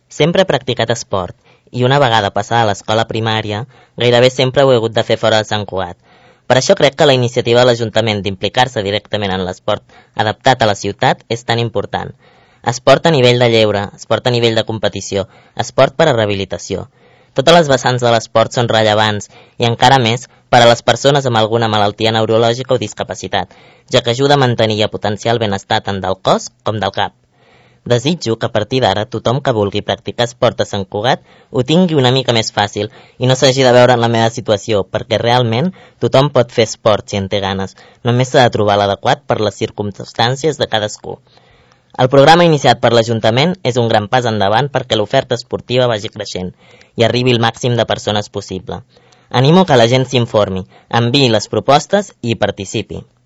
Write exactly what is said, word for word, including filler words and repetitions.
Sempre he practicat esport i una vegada passada a l'escola primària gairebé sempre ho he hagut de fer fora de Sant Cugat. Per això crec que la iniciativa de l'Ajuntament d'implicar-se directament en l'esport adaptat a la ciutat és tan important. Esport a nivell de lleure, esport a nivell de competició, esport per a rehabilitació. Totes les vessants de l'esport són rellevants i encara més per a les persones amb alguna malaltia neurològica o discapacitat, ja que ajuda a mantenir i a potenciar el benestar tant del cos com del cap. Desitjo que a partir d'ara tothom que vulgui practicar esport a Sant Cugat ho tingui una mica més fàcil i no s'hagi de veure en la meva situació, perquè realment tothom pot fer esport si en té ganes, només s'ha de trobar l'adequat per les circumstàncies de cadascú. El programa iniciat per l'Ajuntament és un gran pas endavant perquè l'oferta esportiva vagi creixent i arribi el màxim de persones possible. Animo que la gent s'informi, enviï les propostes i hi participi.